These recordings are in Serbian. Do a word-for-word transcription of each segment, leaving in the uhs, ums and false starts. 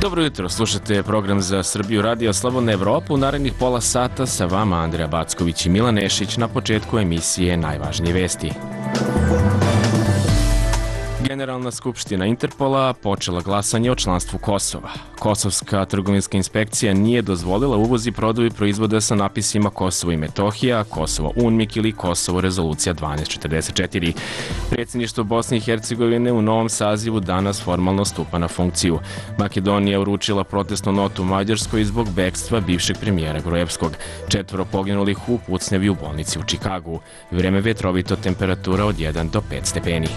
Dobro jutro, slušate program za Srbiju Radio Slobodna Evropa. U narednih pola sata sa vama Andreja Backović i Milan Nešić. Na početku emisije najvažnije vesti. Generalna skupština Interpola počela glasanje o članstvu Kosova. Kosovska trgovinska inspekcija nije dozvolila uvoz i prodaju proizvoda sa napisima Kosovo i Metohija, Kosovo UNMIK ili Kosovo rezolucija dvanaest četrdeset četiri. Predsjedništvo Bosne i Hercegovine u novom sazivu danas formalno stupa na funkciju. Makedonija uručila protestnu notu Mađarskoj zbog bekstva bivšeg premijera Gruevskog. Četvoro poginulih u pucnjavi u bolnici u Čikagu. Vreme vetrovito, temperatura od jedan do pet stepeni.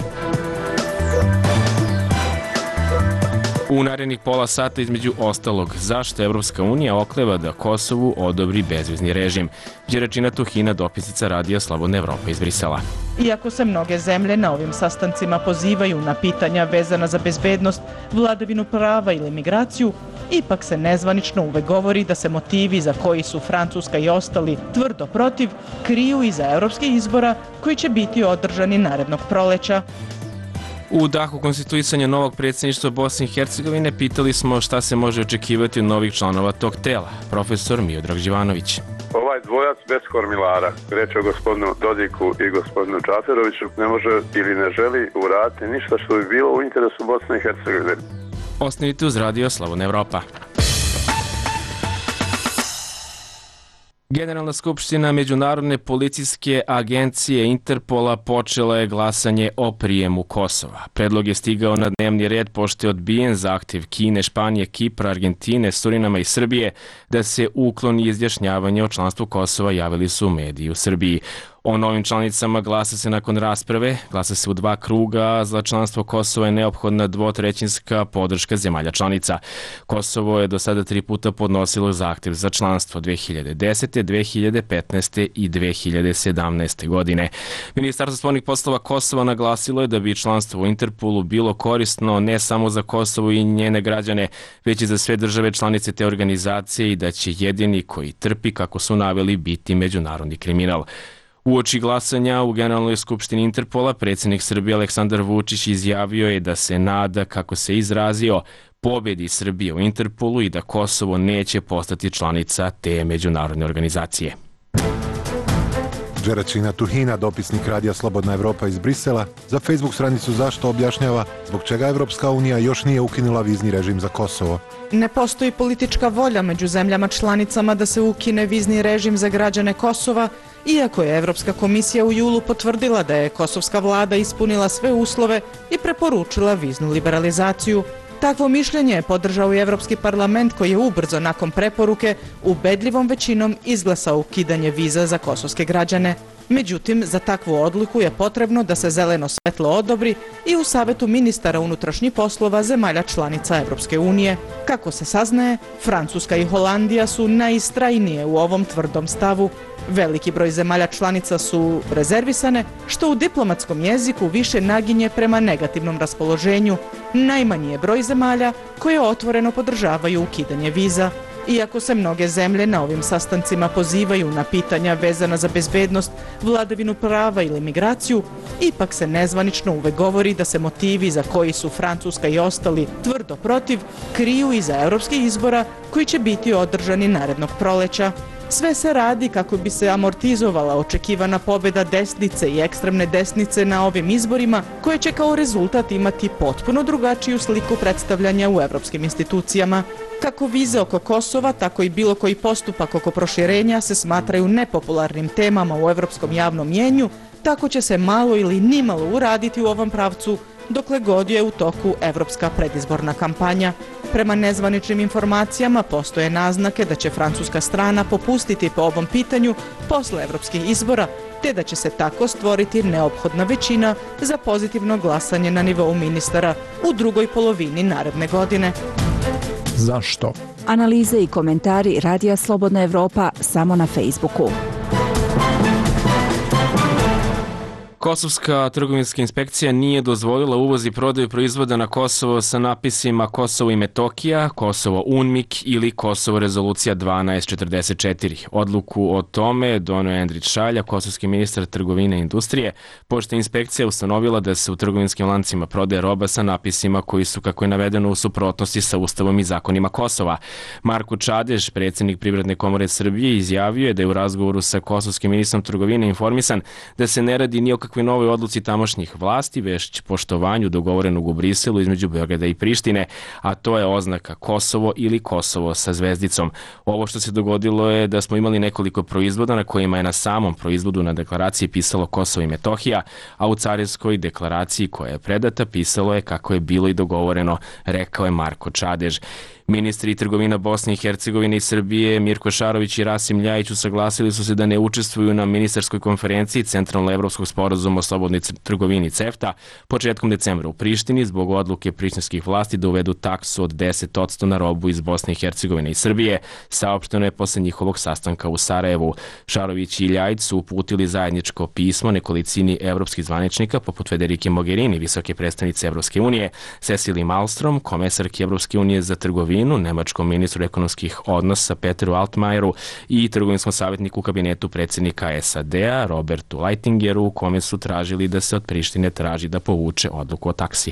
U narednih pola sata između ostalog, zašto Evropska unija okleva da Kosovu odobri bezvizni režim? Đeračina Tuhina, dopisnica Radija Slobodna Evropa iz Brisela. Iako se mnoge zemlje na ovim sastancima pozivaju na pitanja vezana za bezbednost, vladavinu prava ili migraciju, ipak se nezvanično uvek govori da se motivi za koji su Francuska i ostali tvrdo protiv kriju iza evropskih izbora koji će biti održani narednog proleća. U dahu konstituisanja novog predsjedništva Bosne i Hercegovine pitali smo šta se može očekivati od novih članova tog tela. Profesor Miodrag Živanović. Ovaj dvojac bez kormilara, reč o gospodinu Dodiku i gospodinu Čaferoviću, ne može ili ne želi uraditi ništa što bi bilo u interesu Bosne i Hercegovine. Ostanite uz Radio Slobodna Evropa. Generalna skupština Međunarodne policijske agencije Interpola počela je glasanje o prijemu Kosova. Predlog je stigao na dnevni red pošto je odbijen zahtjev Kine, Španije, Kipra, Argentine, Surinama i Srbije da se ukloni izjašnjavanje o članstvu Kosova, javili su mediji u Srbiji. O novim članicama glasa se nakon rasprave, glasa se u dva kruga, za članstvo Kosova je neophodna dvotrećinska podrška zemalja članica. Kosovo je do sada tri puta podnosilo zahtjev za članstvo dve hiljade desete, dve hiljade petnaeste i dve hiljade sedamnaeste. godine. Ministarstvo spoljnih poslova Kosova naglasilo je da bi članstvo u Interpolu bilo korisno ne samo za Kosovo i njene građane, već i za sve države članice te organizacije i da će jedini koji trpi, kako su naveli, biti međunarodni kriminal. Uoči glasanja u Generalnoj skupštini Interpola predsjednik Srbije Aleksandar Vučić izjavio je da se nada, kako se izrazio, pobedi Srbije u Interpolu i da Kosovo neće postati članica te međunarodne organizacije. Đeračina Tuhina, dopisnik Radija Slobodna Evropa iz Brisela, za Facebook stranicu Zašto objašnjava zbog čega Evropska unija još nije ukinula vizni režim za Kosovo. Ne postoji politička volja među zemljama članicama da se ukine vizni režim za građane Kosova, iako je Evropska komisija u julu potvrdila da je kosovska vlada ispunila sve uslove i preporučila viznu liberalizaciju. Takvo mišljenje je podržao i Evropski parlament koji je ubrzo nakon preporuke ubedljivom većinom izglasao ukidanje viza za kosovske građane. Međutim, za takvu odluku je potrebno da se zeleno svetlo odobri i u Savetu ministara unutrašnjih poslova zemalja članica Evropske unije. Kako se saznaje, Francuska i Holandija su najistrajnije u ovom tvrdom stavu. Veliki broj zemalja članica su rezervisane, što u diplomatskom jeziku više naginje prema negativnom raspoloženju. Najmanji je broj zemalja koje otvoreno podržavaju ukidanje viza. Iako se mnoge zemlje na ovim sastancima pozivaju na pitanja vezana za bezbednost, vladavinu prava ili migraciju, ipak se nezvanično uvek govori da se motivi za koji su Francuska i ostali tvrdo protiv kriju iza evropskih izbora koji će biti održani narednog proleća. Sve se radi kako bi se amortizovala očekivana pobjeda desnice i ekstremne desnice na ovim izborima, koje će kao rezultat imati potpuno drugačiju sliku predstavljanja u evropskim institucijama. Kako vize oko Kosova, tako i bilo koji postupak oko proširenja se smatraju nepopularnim temama u evropskom javnom mjenju, tako će se malo ili nimalo uraditi u ovom pravcu, dokle god je u toku evropska predizborna kampanja. Prema nezvaničnim informacijama postoje naznake da će francuska strana popustiti po ovom pitanju posle evropskih izbora, te da će se tako stvoriti neophodna većina za pozitivno glasanje na nivou ministara u drugoj polovini naredne godine. Zašto? Analize i komentari Radija Slobodna Evropa samo na Facebooku. Kosovska trgovinska inspekcija nije dozvolila uvoz i prodaju proizvoda na Kosovo sa napisima Kosovo i Metohija, Kosovo UNMIK ili Kosovo rezolucija dvanaest četrdeset četiri. Odluku o tome donio je Endrić Šalja, kosovski ministar trgovine i industrije, pošto je inspekcija ustanovila da se u trgovinskim lancima prodaje roba sa napisima koji su, kako je navedeno, u suprotnosti sa Ustavom i zakonima Kosova. Marko Čadež, predsjednik Privredne komore Srbije, izjavio je da je u razgovoru sa kosovskim ministrom trgovine informisan da se ne radi ni o kakvoj novoj odluci tamošnjih vlasti, već poštovanju dogovorenog u Briselu između Beograda i Prištine, a to je oznaka Kosovo ili Kosovo sa zvezdicom. Ovo što se dogodilo je da smo imali nekoliko proizvoda na kojima je na samom proizvodu na deklaraciji pisalo Kosovo i Metohija, a u carinskoj deklaraciji koja je predata pisalo je kako je bilo i dogovoreno, rekao je Marko Čadež. Ministri trgovina Bosne i Hercegovine i Srbije Mirko Šarović i Rasim Ljajić usaglasili su se da ne učestvuju na ministarskoj konferenciji Centralno-evropskog sporazuma o slobodnoj trgovini CEFTA početkom decembra u Prištini zbog odluke prištinskih vlasti da uvedu taksu od deset posto na robu iz Bosne i Hercegovine i Srbije, saopšteno je posle njihovog sastanka u Sarajevu. Šarović i Ljajić su uputili zajedničko pismo nekolicini evropskih zvaničnika poput Federike Mogherini, visoke predstavnice Evropske unije, Cecily Malmström, komesarke Evropske unije za trgovinu, nemačkom ministru ekonomskih odnosa Peteru Altmajeru i trgovinskom savjetniku u kabinetu predsjednika S A D-a Robertu Leitingeru, u kome su tražili da se od Prištine traži da povuče odluku o taksi.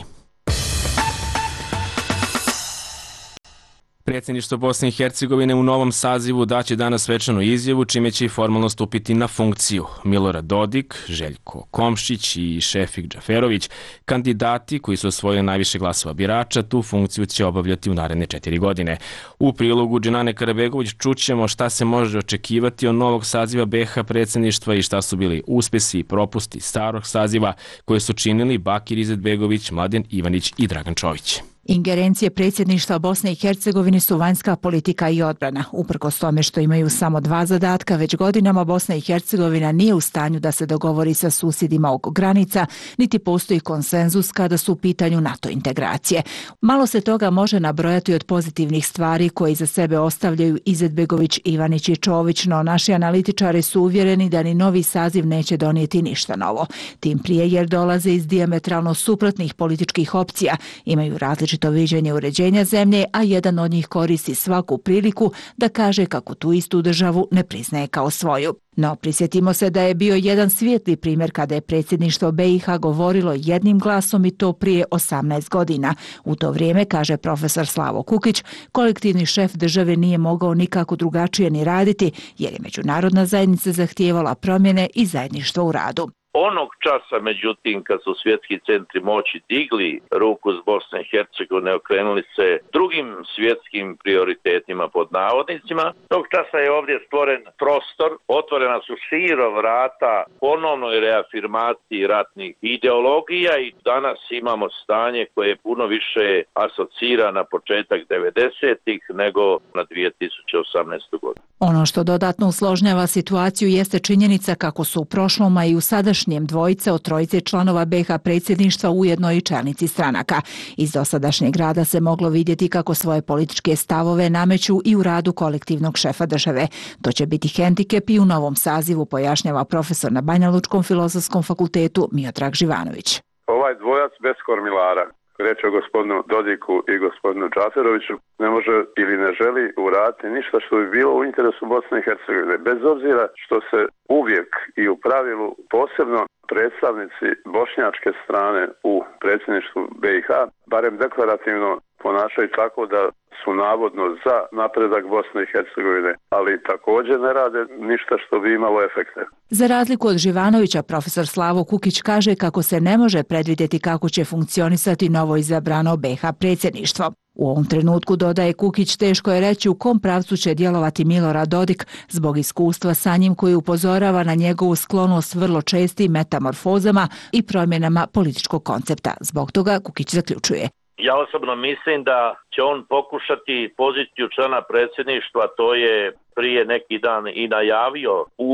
Predsjedništvo Bosne i Hercegovine u novom sazivu daće danas svečanu izjavu, čime će i formalno stupiti na funkciju. Milorad Dodik, Željko Komšić i Šefik Džaferović, kandidati koji su osvojili najviše glasova birača, tu funkciju će obavljati u naredne četiri godine. U prilogu Dženane Karabegović čućemo šta se može očekivati od novog saziva B iH predsjedništva i šta su bili uspesi i propusti starog saziva koje su činili Bakir Izetbegović, Mladen Ivanić i Dragan Čović. Ingerencije predsjedništva Bosne i Hercegovine su vanjska politika i odbrana. Uprkos tome što imaju samo dva zadatka, već godinama Bosna i Hercegovina nije u stanju da se dogovori sa susjedima oko granica, niti postoji konsenzus kada su u pitanju NATO integracije. Malo se toga može nabrojati od pozitivnih stvari koje iza sebe ostavljaju Izetbegović, Ivanić i Čović, no naši analitičari su uvjereni da ni novi saziv neće donijeti ništa novo. Tim prije jer dolaze iz dijametralno suprotnih političkih opcija, imaju različite to viđenje uređenja zemlje, a jedan od njih koristi svaku priliku da kaže kako tu istu državu ne priznaje kao svoju. No, prisjetimo se da je bio jedan svijetli primjer kada je predsjedništvo B iH govorilo jednim glasom i to prije osamnaest godina. U to vrijeme, kaže profesor Slavo Kukić, kolektivni šef države nije mogao nikako drugačije ni raditi jer je međunarodna zajednica zahtijevala promjene i zajedništvo u radu. Onog časa, međutim, kad su svjetski centri moći digli ruku s Bosne i Hercegovine, okrenuli se drugim svjetskim prioritetima pod navodnicima, tog časa je ovdje stvoren prostor, otvorena su širo vrata ponovnoj reafirmaciji ratnih ideologija i danas imamo stanje koje je puno više asocira na početak devedesetih nego na dvije tisuće osamnaestu. godinu. Ono što dodatno usložnjava situaciju jeste činjenica kako su u prošlom, a i u sadašnjem dvojice od trojice članova B iH predsjedništva ujedno i čelnici stranaka. Iz dosadašnjeg rada se moglo vidjeti kako svoje političke stavove nameću i u radu kolektivnog šefa države. To će biti hendikep i u novom sazivu, pojašnjava profesor na Banjalučkom filozofskom fakultetu Miodrag Živanović. Ovaj dvojac bez kormilara, reč o gospodinu Dodiku i gospodinu Džaferoviću, ne može ili ne želi uraditi ništa što bi bilo u interesu Bosne i Hercegovine. Bez obzira što se uvijek i u pravilu posebno predstavnici bošnjačke strane u predsjedništvu B iH, barem deklarativno ponašaju tako da su navodno za napredak Bosne i Hercegovine, ali također ne rade ništa što bi imalo efekte. Za razliku od Živanovića, profesor Slavo Kukić kaže kako se ne može predvidjeti kako će funkcionisati novo izabrano B iH predsjedništvo. U ovom trenutku, dodaje Kukić, teško je reći u kom pravcu će djelovati Milorad Dodik zbog iskustva sa njim koji upozorava na njegovu sklonost vrlo čestim metamorfozama i promjenama političkog koncepta. Zbog toga Kukić zaključuje. Ja osobno mislim da će on pokušati poziciju člana predsjedništva, to je prije neki dan i najavio u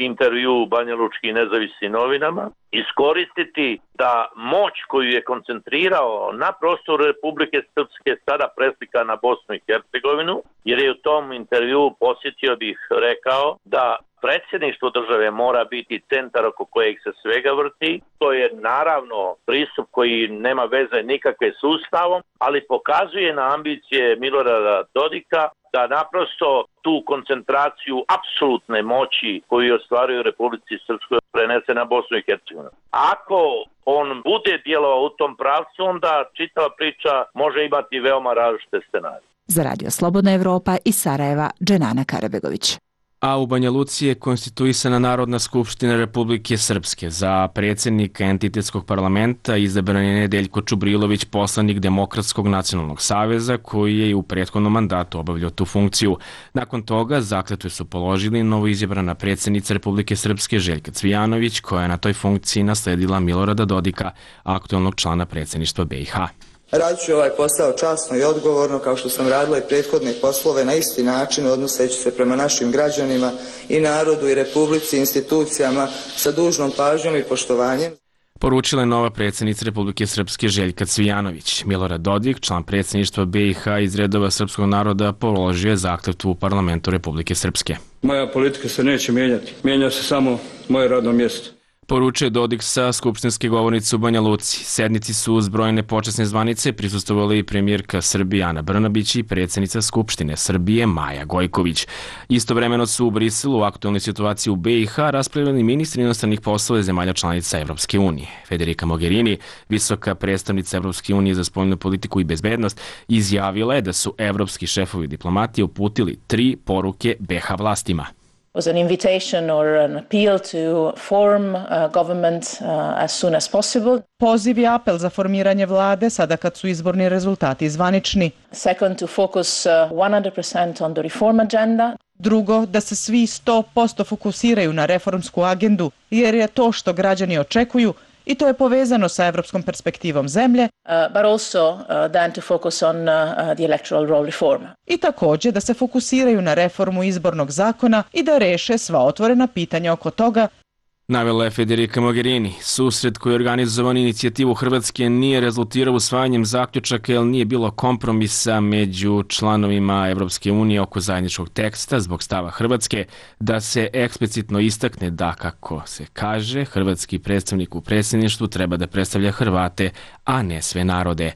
intervju Banjalučkim nezavisnim novinama, iskoristiti da moć koju je koncentrirao na prostoru Republike Srpske sada preslika na Bosnu i Hercegovinu, jer je u tom intervju, posjetio bih, rekao da predsjedništvo države mora biti centar oko kojeg se svega vrti. To je naravno pristup koji nema veze nikakve s Ustavom, ali pokazuje na ambicije Milorada Dodika da naprosto tu koncentraciju apsolutne moći koju ostvaruju u Republici Srpskoj prenese na Bosnu i Hercegovinu. Ako on bude djelovao u tom pravcu, onda čitava priča može imati veoma različite scenarije. Za Radio Slobodna Evropa iz Sarajeva, Dženana Karabegović. A u Banja Luci je konstituisana Narodna skupština Republike Srpske. Za predsjednika entitetskog parlamenta izabran je Nedeljko Čubrilović, poslanik Demokratskog nacionalnog saveza, koji je i u prethodnom mandatu obavljao tu funkciju. Nakon toga zakletvu su položili novoizabrana predsjednica Republike Srpske Željka Cvijanović, koja je na toj funkciji nasledila Milorada Dodika, aktualnog člana predsjedništva B i H. Radit ću ovaj posao časno i odgovorno, kao što sam radila i prethodne poslove, na isti način, odnoseći se prema našim građanima i narodu i republici i institucijama sa dužnom pažnjom i poštovanjem. Poručila je nova predsjednica Republike Srpske Željka Cvijanović. Milorad Dodik, član predsjedništva B i H iz redova srpskog naroda, položio je zakletvu u parlamentu Republike Srpske. Moja politika se neće mijenjati. Mijenja se samo moje radno mjesto. Poručuje Dodik sa skupštinske govornice u Banja Luci. Sednici su uz brojne počasne zvanice prisustvovali i premijerka Srbije Ana Brnabić i predsjednica Skupštine Srbije Maja Gojković. Istovremeno su u Briselu u aktualnoj situaciji u B i H raspravljali ministri inostranih poslova zemalja članica Evropske unije. Federica Mogherini, visoka predstavnica Evropske unije za spoljnu politiku i bezbednost, izjavila je da su evropski šefovi diplomatije uputili tri poruke B H vlastima. Was an invitation or an appeal to form a government uh, as soon as possible. Poziv i apel za formiranje vlade sada kad su izborni rezultati zvanični. Second, to focus uh, one hundred percent on the reform agenda. Drugo, da se svi sto posto fokusiraju na reformsku agendu, jer je to što građani očekuju i to je povezano sa evropskom perspektivom zemlje, uh, but also uh, then to focus on uh, the electoral roll reform. I također da se fokusiraju na reformu izbornog zakona i da reše sva otvorena pitanja oko toga. Navela je Federica Mogherini. Susret koji je organizovan inicijativu Hrvatske nije rezultirao usvajanjem zaključaka jer nije bilo kompromisa među članovima Evropske unije oko zajedničkog teksta zbog stava Hrvatske da se eksplicitno istakne da, kako se kaže, hrvatski predstavnik u predsjedništvu treba da predstavlja Hrvate, a ne sve narode.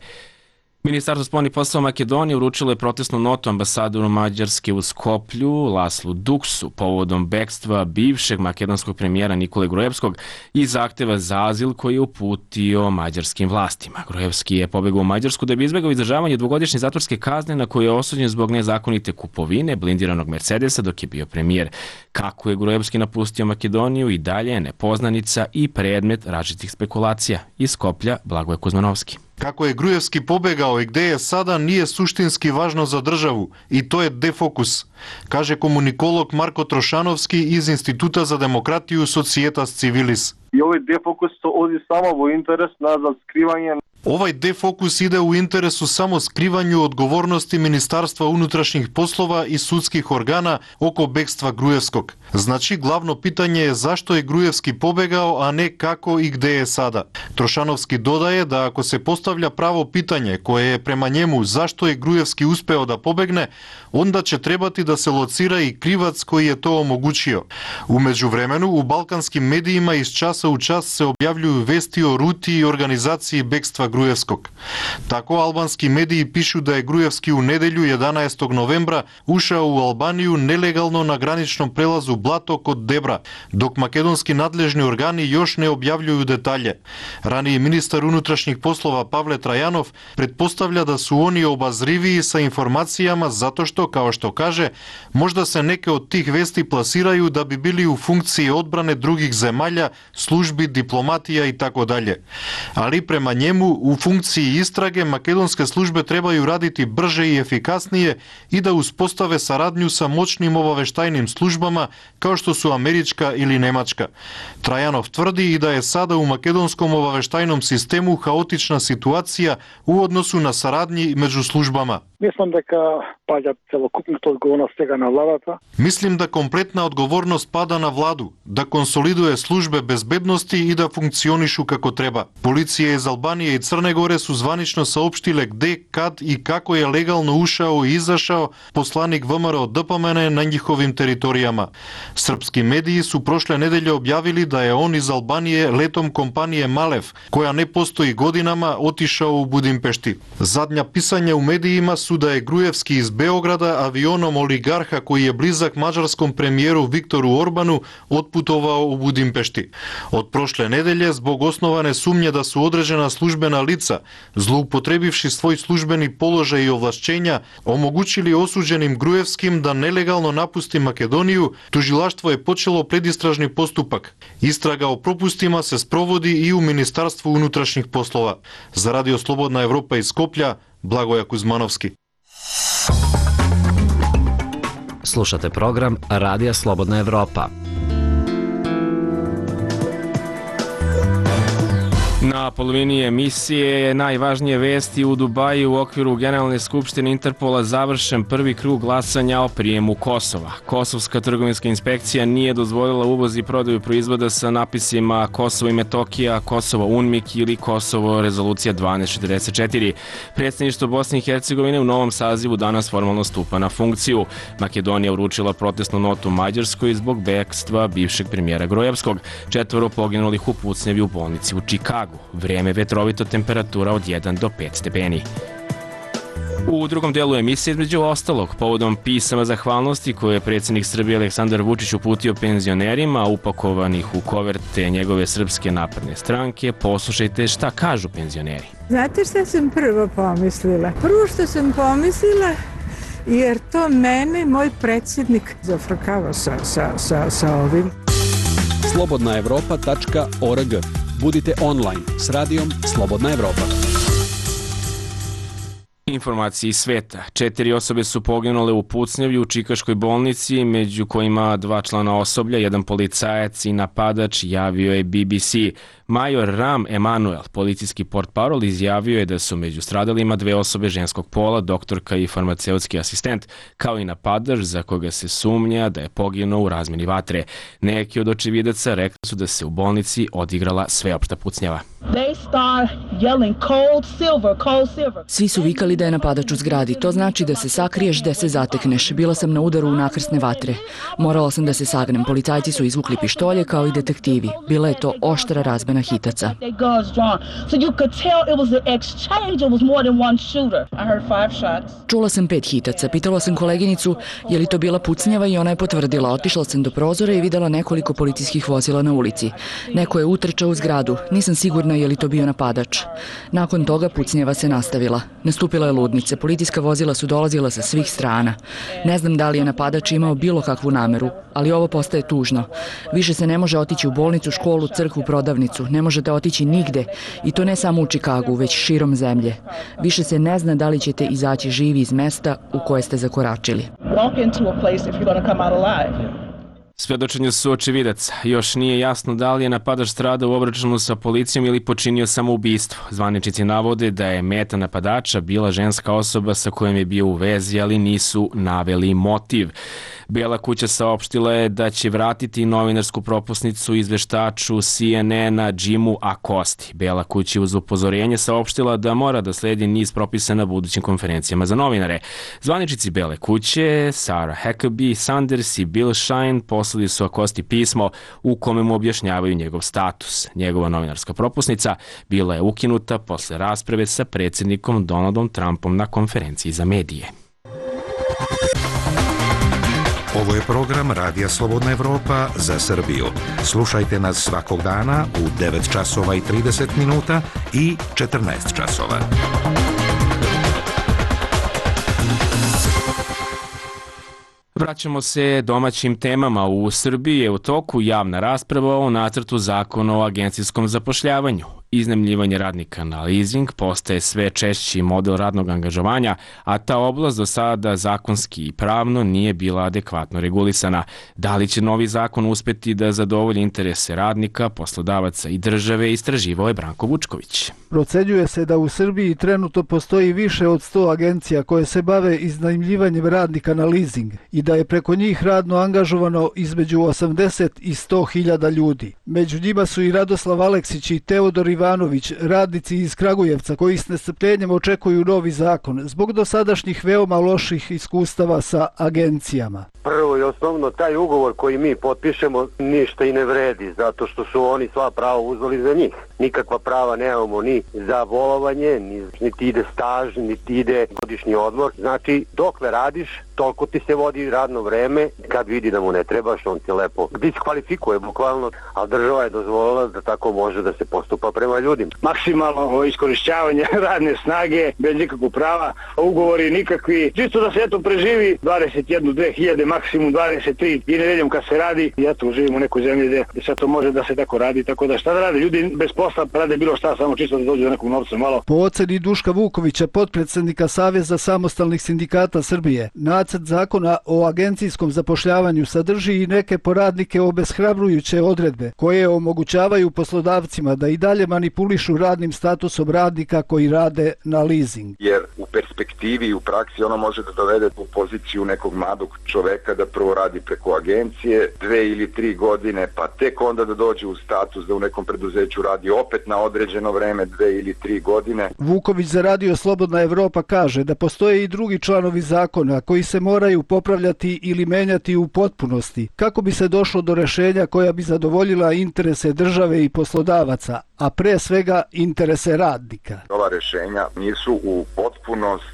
Ministarstvo spoljnih poslova Makedonije uručilo je protestnu notu ambasadoru Mađarske u Skoplju, Laslu Duksu, povodom bekstva bivšeg makedonskog premijera Nikole Gruevskog i zahteva za azil koji je uputio mađarskim vlastima. Gruevski je pobegao u Mađarsku da bi izbegao izdržavanje dvogodišnje zatvorske kazne na koje je osuđen zbog nezakonite kupovine blindiranog Mercedesa dok je bio premijer. Kako je Gruevski napustio Makedoniju i dalje je nepoznanica i predmet različitih spekulacija. Iz Skoplja, Blagoje Kuzmanovski. Kako je Gruevski pobegao i gde je sada nije suštinski važno za državu i to je defokus, kaže komunikolog Marko Trošanovski iz Instituta za demokratiju Societas Civilis. I ovaj defokus to odi samo u interes nazad skrivanje. Ovaj defokus ide u interesu samo skrivanju odgovornosti Ministarstva unutrašnjih poslova i sudskih organa oko bekstva Gruevskog. Znači, glavno pitanje je zašto je Gruevski pobegao, a ne kako i gde je sada. Trošanovski dodaje da ako se postavlja pravo pitanje koje je prema njemu zašto je Gruevski uspeo da pobegne, onda će trebati da se locira i krivac koji je to omogućio. U međuvremenu, u balkanskim medijima iz časa u čas se objavljuju vesti o ruti i organizaciji bekstva Gruevskog. Tako albanski mediji pišu da je Gruevski u nedelju jedanaestog novembra ušao u Albaniju nelegalno na graničnom prelazu Blato kod Debra, dok makedonski nadležni organi još ne objavljuju detalje. Raniji ministar unutrašnjih poslova Pavle Trajanov pretpostavlja da su oni obazriviji sa informacijama zato što, kao što kaže, možda se neke od tih vesti plasiraju da bi bili u funkciji odbrane drugih zemalja, službi, diplomatija i tako dalje. Ali prema njemu u funkciji istrage makedonske službe trebaju raditi brže i efikasnije i da uspostave saradnju sa moćnim obaveštajnim službama kao što su američka ili nemačka. Trajanov tvrdi i da je sada u makedonskom obaveštajnom sistemu haotična situacija u odnosu na saradnji među službama. Mislim дека паѓа целокупната одговорност сега на владата. Мислим да комплетна одговорност пада на владу, да консолидуе службе безбедности и да функционишу како треба. Полиција из Албанија и Црна Горе су званично саопштиле каде, кад и како е легално ушао и изашао посланик ВМРО ДПМН на нjihovim територијама. Српски медии су прошле неделја објавили да е он из Албанија летом компанија Малев, која не постои годинама, отишао у Будимпешти. Задња писање у медиима су да е Груевски из Београда авионом олигарха кој е близак маđarском премиеру Виктору Орбану отпутовао у Будимпешти. Од прошле неделје због основане сумње да су одреđена службена лица, злоупотребивши свој службени положај и овлашчења, омогучили осуđеним Груевским да нелегално напусти Македонију, тужилаштво е почело предистражни поступак. Истрага о пропустима се спроводи и у Министарство унутрашних послова. За Радио Слободна Европа из Скопја, Благоја Кузмановски. Slušate program Radija Slobodna Evropa. Na polovini emisije najvažnije vesti u Dubaju u okviru Generalne skupštine Interpola završen prvi krug glasanja o prijemu Kosova. Kosovska trgovinska inspekcija nije dozvolila uvoz i prodaju proizvoda sa napisima Kosovo i Metokija, Kosovo UNMIK ili Kosovo rezolucija dvanaest četrdeset četiri. Predsjedništvo Bosne i Hercegovine u novom sazivu danas formalno stupa na funkciju. Makedonija uručila protestnu notu Mađarskoj zbog bekstva bivšeg premijera Grojevskog. Četvoro poginulih u pucnjevi u bolnici u Čikagu. Vrijeme vetrovito, temperatura od jedan do pet stepeni. U drugom delu emisije, između ostalog, povodom pisama zahvalnosti koje je predsjednik Srbije Aleksandar Vučić uputio penzionerima upakovanih u koverte njegove Srpske napredne stranke, poslušajte šta kažu penzioneri. Znate šta sam prvo pomislila? Prvo što sam pomislila, jer to mene moj predsjednik zafrkava sa, sa, sa, sa ovim. slobodna evropa tačka org. Budite online s radijom Slobodna Evropa. Informacije iz sveta. Četiri osobe su poginule u pucnjavi u Čikaškoj bolnici, među kojima dva člana osoblja, jedan policajac i napadač, javio je B B C. Major Ram Emanuel, policijski portparol, izjavio je da su među stradalima dve osobe ženskog pola, doktorka i farmaceutski asistent, kao i napadač za koga se sumnja da je poginuo u razmeni vatre. Neki od očevidaca rekli su da se u bolnici odigrala sveopšta pucnjava. Svi su vikali da je napadač u zgradi. To znači da se sakriješ, da se zatekneš. Bila sam na udaru u nakrsne vatre. Morala sam da se sagnem. Policajci su izvukli pištolje kao i detektivi. Bila je to oštra razmena hitaca. Čula sam pet hitaca. Pitala sam koleginicu je li to bila pucnjava i ona je potvrdila. Otišla sam do prozora i videla nekoliko policijskih vozila na ulici. Neko je utrčao u zgradu. Nisam sigurna je li to bio napadač. Nakon toga pucnjava se nastavila. Nastupila je ludnica. Policijska vozila su dolazila sa svih strana. Ne znam da li je napadač imao bilo kakvu nameru, ali ovo postaje tužno. Više se ne može otići u bolnicu, školu, crkvu, prodavnicu. Ne možete otići nigde. I to ne samo u Čikagu, već širom zemlje. Više se ne zna da li ćete izaći živi iz mesta u koje ste zakoračili. Svedočenja su očevidaca. Još nije jasno da li je napadač stradao u obračunu sa policijom ili počinio samoubistvo. Zvaničnici navode da je meta napadača bila ženska osoba sa kojom je bio u vezi, ali nisu naveli motiv. Bela kuća saopštila je da će vratiti novinarsku propusnicu izveštaču C N N-a Jimu Acosti. Bela kuća uz upozorenje saopštila da mora da sledi niz propisa na budućim konferencijama za novinare. Zvaničnici Bele kuće, Sarah Huckabee Sanders i Bill Shine, poslali su Acosti pismo u kome mu objašnjavaju njegov status. Njegova novinarska propusnica bila je ukinuta posle rasprave sa predsjednikom Donaldom Trumpom na konferenciji za medije. Ovo je program Radija Slobodna Evropa za Srbiju. Slušajte nas svakog dana u devet časova i trideset minuta i četrnaest časova. Vraćamo se domaćim temama. U Srbiji je u toku javna rasprava o nacrtu zakona o agencijskom zapošljavanju. iznajmljivanje radnika na leasing postaje sve češći model radnog angažovanja, a ta oblast do sada zakonski i pravno nije bila adekvatno regulisana. Da li će novi zakon uspeti da zadovolji interese radnika, poslodavaca i države, istraživao je Branko Vučković. Procenjuje se da u Srbiji trenutno postoji više od sto agencija koje se bave iznajmljivanjem radnika na leasing i da je preko njih radno angažovano između osamdeset i sto hiljada ljudi. Među njima su i Radoslav Aleksić i Teodor Ivanović, radnici iz Kragujevca koji s nestrpljenjem očekuju novi zakon zbog dosadašnjih veoma loših iskustava sa agencijama. Prvo i osnovno, taj ugovor koji mi potpišemo ništa i ne vredi, zato što su oni sva prava uzeli za njih. Nikakva prava nemamo ni za bolovanje, ni, niti ide staž, niti ide godišnji odmor. Znači, dokle radiš, toliko ti se vodi radno vreme, kad vidi da mu ne trebaš, on ti lepo diskvalifikuje bukvalno, ali država je dozvolila da tako može da se postupa prema ljudima. Maksimalno iskorišćavanje radne snage, bez nikakvog prava, ugovori nikakvi, čisto da se eto preživi dvadeset jednu, dve hiljade, maksimum dvadeset tri i nedeljom kad se radi, i eto živimo u nekoj zemlji gdje sad to može da se tako radi, tako da šta da rade, ljudi bez posla rade bilo šta, samo čisto da dođu do nekog novca malo. Po oceni Duška Vukovića, potpredsjednika Saveza samostalnih sindikata Srbije, nacrt zakona o agencijskom zapošljavanju sadrži i neke po radnike obeshrabrujuće odredbe koje omogućavaju poslodavcima da i dalje manipulišu radnim statusom radnika koji rade na leasing. Jer u perspektivi i u praksi ono može da dovede u poziciju nekog mladog čoveka da prvo radi preko agencije dve ili tri godine, pa tek onda da dođe u status da u nekom preduzeću radi opet na određeno vreme dve ili tri godine. Vuković za Radio Slobodna Evropa kaže da postoje i drugi članovi zakona koji se moraju popravljati ili menjati u potpunosti kako bi se došlo do rešenja koja bi zadovoljila interese države i poslodavaca, a pre svega interese radnika. Ova rešenja nisu u potpunosti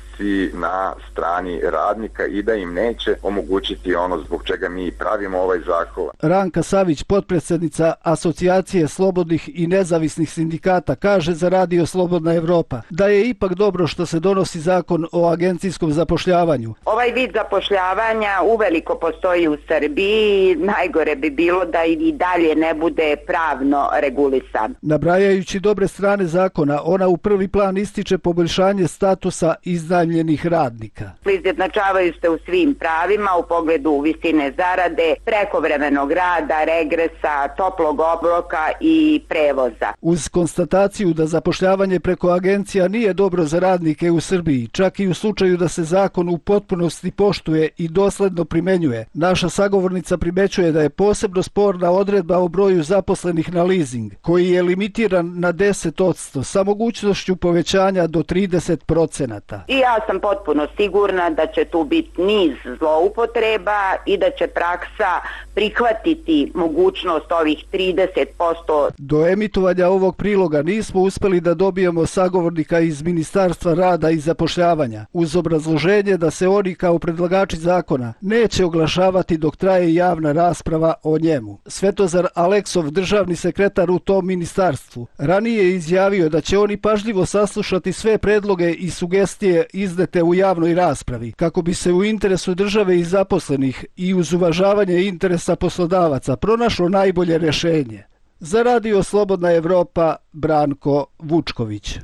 na strani radnika i da im neće omogućiti ono zbog čega mi pravimo ovaj zakon. Ranka Savić, potpredsjednica Asocijacije slobodnih i nezavisnih sindikata, kaže za Radio Slobodna Evropa da je ipak dobro što se donosi zakon o agencijskom zapošljavanju. Ovaj vid zapošljavanja uveliko postoji u Srbiji, najgore bi bilo da i dalje ne bude pravno regulisan. Nabrajajući dobre strane zakona, ona u prvi plan ističe poboljšanje statusa iznajmljenih radnika. Izjednačavaju se u svim pravima u pogledu visine zarade, prekovremenog rada, regresa, toplog obroka i prevoza. Uz konstataciju da zapošljavanje preko agencija nije dobro za radnike u Srbiji, čak i u slučaju da se zakon u potpunosti poštuje i dosledno primenjuje, naša sagovornica primećuje da je posebno sporna odredba o broju zaposlenih na leasing, koji je limitiran na deset posto sa mogućnošću povećanja do trideset procenata. I ja sam potpuno sigurna da će tu biti niz zloupotreba i da će praksa prihvatiti mogućnost ovih trideset posto. Do emitovanja ovog priloga nismo uspeli da dobijemo sagovornika iz Ministarstva rada i zapošljavanja, uz obrazloženje da se oni kao predlagači zakona neće oglašavati dok traje javna rasprava o njemu. Svetozar Aleksov, državni sekretar u tom ministarstvu, ranije je izjavio da će oni pažljivo saslušati sve predloge i sugestije iznete u javnoj raspravi, kako bi se u interesu države i zaposlenih i uz uvažavanje interesa poslodavaca pronašlo najbolje rešenje. Za Radio Slobodna Evropa, Branko Vučković.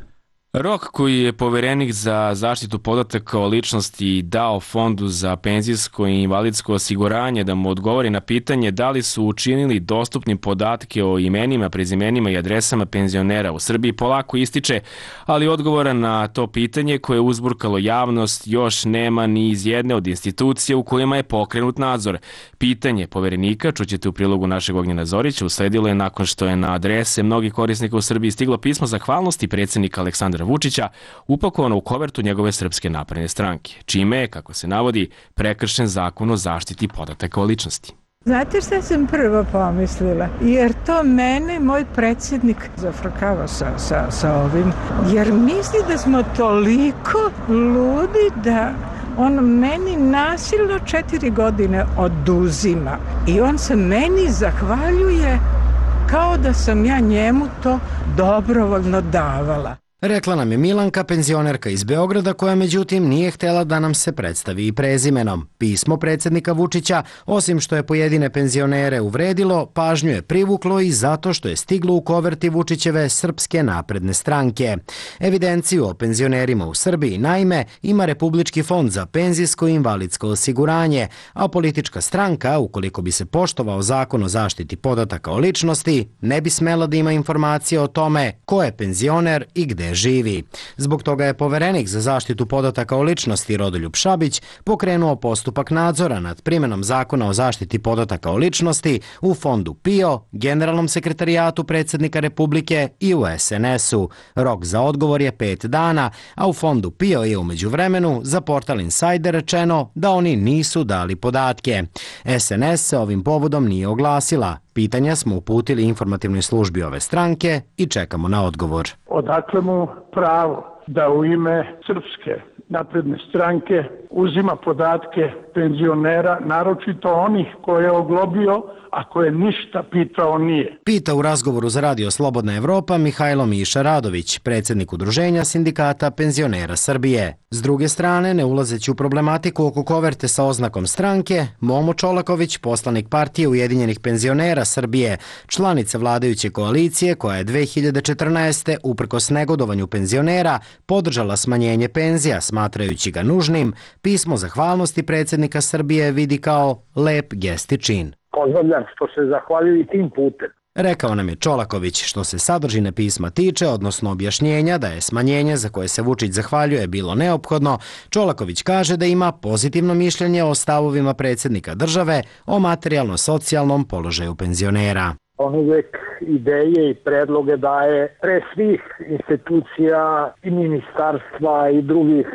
Rok koji je poverenik za zaštitu podataka o ličnosti dao Fondu za penzijsko i invalidsko osiguranje da mu odgovori na pitanje da li su učinili dostupnim podatke o imenima, prezimenima i adresama penzionera u Srbiji polako ističe, ali odgovora na to pitanje koje je uzburkalo javnost još nema ni iz jedne od institucija u kojima je pokrenut nadzor. Pitanje poverenika, čućete u prilogu našeg Ognjena Zorića, usledilo je nakon što je na adrese mnogih korisnika u Srbiji stiglo pismo zahvalnosti predsjednika Aleksandra Vučića upakovano u kovertu njegove Srpske napredne stranke, čime je, kako se navodi, prekršen zakon o zaštiti podataka o ličnosti. Znate šta sam prvo pomislila? Jer to mene moj predsjednik zafrkava sa, sa, sa ovim. Jer misli da smo toliko ludi da on meni nasilno četiri godine oduzima. I on se meni zahvaljuje kao da sam ja njemu to dobrovoljno davala. Rekla nam je Milanka, penzionerka iz Beograda, koja međutim nije htjela da nam se predstavi i prezimenom. Pismo predsjednika Vučića, osim što je pojedine penzionere uvredilo, pažnju je privuklo i zato što je stiglo u koverti Vučićeve Srpske napredne stranke. Evidenciju o penzionerima u Srbiji, naime, ima Republički fond za penzijsko i invalidsko osiguranje, a politička stranka, ukoliko bi se poštovao zakon o zaštiti podataka o ličnosti, ne bi smela da ima informacije o tome ko je penzioner i gde živi. Zbog toga je poverenik za zaštitu podataka o ličnosti Rodoljub Šabić pokrenuo postupak nadzora nad primjenom zakona o zaštiti podataka o ličnosti u fondu P I O, Generalnom sekretarijatu predsjednika Republike i u S N S-u. Rok za odgovor je pet dana, a u fondu P I O je u međuvremenu za portal Insider rečeno da oni nisu dali podatke. S N S se ovim povodom nije oglasila. Pitanja smo uputili informativnoj službi ove stranke i čekamo na odgovor. Odakle mu pravo da u ime Srpske napredne stranke uzima podatke penzionera, naročito onih koje je oglobio, a koje ništa pitao nije? Pita u razgovoru za Radio Slobodna Evropa Mihajlo Miša Radović, predsjednik Udruženja sindikata penzionera Srbije. S druge strane, ne ulazeći u problematiku oko koverte sa oznakom stranke, Momo Čolaković, poslanik partije Ujedinjenih penzionera Srbije, članica vladajuće koalicije koja je dve hiljade četrnaeste. uprkos negodovanju penzionera podržala smanjenje penzija, smatrajući ga nužnim, pismo zahvalnosti predsjednika Srbije vidi kao lep gest i čin. Pozdravljam što se zahvaljuju i tim putem. Rekao nam je Čolaković. Što se sadržine pisma tiče, odnosno objašnjenja da je smanjenje za koje se Vučić zahvaljuje bilo neophodno, Čolaković kaže da ima pozitivno mišljenje o stavovima predsjednika države o materijalno-socijalnom položaju penzionera. On uvijek ideje i predloge daje pre svih institucija i ministarstva i drugih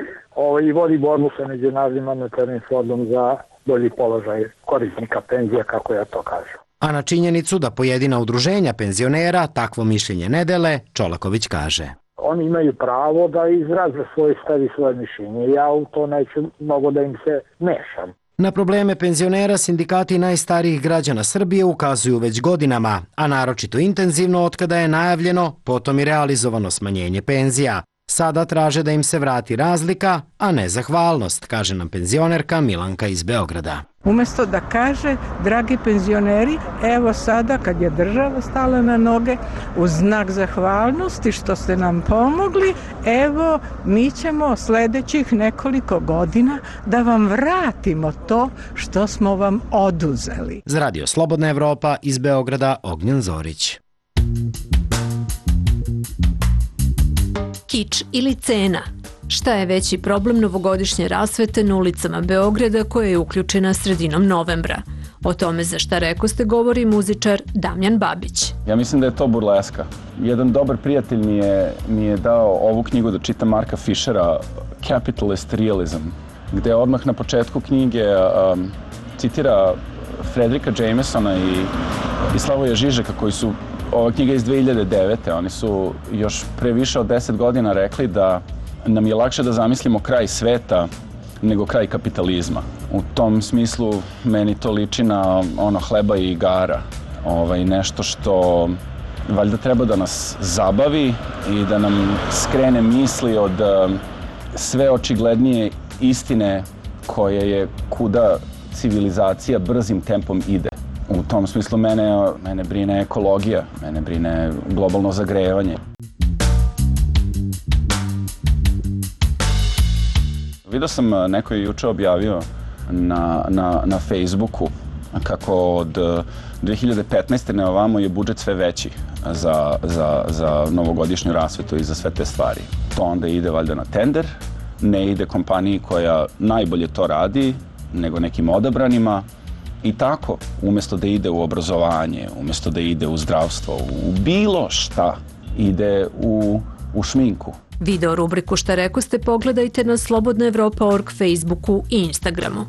i vodi borbu sa Međunarodnim monetarnim fondom za bolji položaj korisnika penzija, kako ja to kažem. A na činjenicu da pojedina udruženja penzionera takvo mišljenje ne dele, Čolaković kaže. Oni imaju pravo da izraze svoje stav i svoje mišljenje. Ja u to neću mnogo da im se mešam. Na probleme penzionera sindikati najstarijih građana Srbije ukazuju već godinama, a naročito intenzivno otkada je najavljeno, potom i realizovano smanjenje penzija. Sada traže da im se vrati razlika, a ne zahvalnost, kaže nam penzionerka Milanka iz Beograda. Umjesto da kaže, dragi penzioneri, evo sada kad je država stala na noge, u znak zahvalnosti što ste nam pomogli, evo mi ćemo sljedećih nekoliko godina da vam vratimo to što smo vam oduzeli. Za Radio Slobodna Evropa iz Beograda, Ognjen Zorić. Kič ili cena? Šta je veći problem novogodišnje rasvete na ulicama Beograda koja je uključena sredinom novembra? O tome za šta rekoste govori muzičar Damjan Babić. Ja mislim da je to burleska. Jedan dobar prijatelj mi je, mi je dao ovu knjigu da čitam Marka Fischera, Capitalist Realism, gde odmah na početku knjige um, citira Fredrika Jamesona i, i Slavoja Žižeka koji su, ova knjiga iz dve hiljade devete. Oni su još pre više od deset godina rekli da nam je lakše da zamislimo kraj sveta nego kraj kapitalizma. U tom smislu meni to liči na ono hleba i igara. Ovaj, nešto što valjda treba da nas zabavi i da nam skrene misli od sve očiglednije istine koje je kuda civilizacija brzim tempom ide. U tom smislu mene, mene brine ekologija, mene brine globalno zagrevanje. Vidio sam, neko je juče objavio na, na, na Facebooku kako od dve hiljade petnaeste na ovamo je budžet sve veći za, za, za novogodišnju rasvetu i za sve te stvari. To onda ide valjda na tender, ne ide kompaniji koja najbolje to radi, nego nekim odabranima. I tako, umjesto da ide u obrazovanje, umjesto da ide u zdravstvo, u bilo šta, ide u, u šminku. Video rubriku Šta rekoste pogledajte na slobodna evropa tačka org, Facebooku i Instagramu.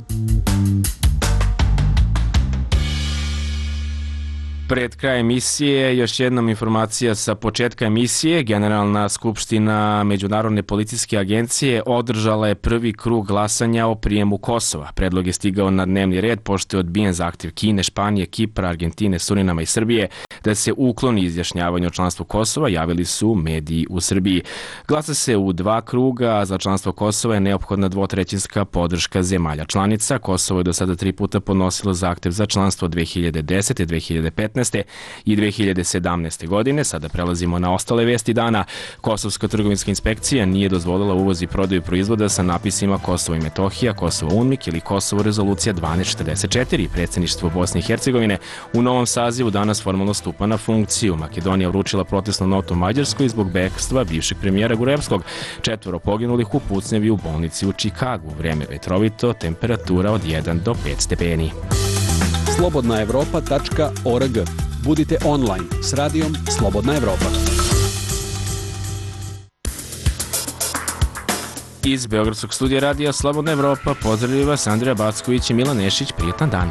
Pred kraj emisije, još jednom informacija sa početka emisije. Generalna skupština Međunarodne policijske agencije održala je prvi krug glasanja o prijemu Kosova. Predlog je stigao na dnevni red pošto je odbijen zahtev Kine, Španije, Kipra, Argentine, Surinama i Srbije da se ukloni izjašnjavanje o članstvu Kosova, javili su mediji u Srbiji. Glasa se u dva kruga, a za članstvo Kosova je neophodna dvotrećinska podrška zemalja članica. Kosovo je do sada tri puta podnosilo zahtev za članstvo dve hiljade desete, dve hiljade petnaeste i dve hiljade sedamnaeste. godine. Sada prelazimo na ostale vesti dana. Kosovska trgovinska inspekcija nije dozvolila uvoz i prodaju proizvoda sa napisima Kosovo i Metohija, Kosovo UNMIK ili Kosovo rezolucija dvanaest četrdeset četiri. Predsjedništvo Bosne i Hercegovine u novom sazivu danas formalno stupa na funkciju. Makedonija uručila protestnu notu Mađarskoj zbog bekstva bivšeg premijera Gruevskog. Četvoro poginulih u pucnjevi u bolnici u Čikagu. Vreme vetrovito, temperatura od jedan do pet stepeni. slobodna evropa tačka org. Budite online s radijom Slobodna Evropa. Iz Beogradskog studija radija Slobodna Evropa pozdravljaju vas Andrija Backović i Milan Nešić. Prijetan dan.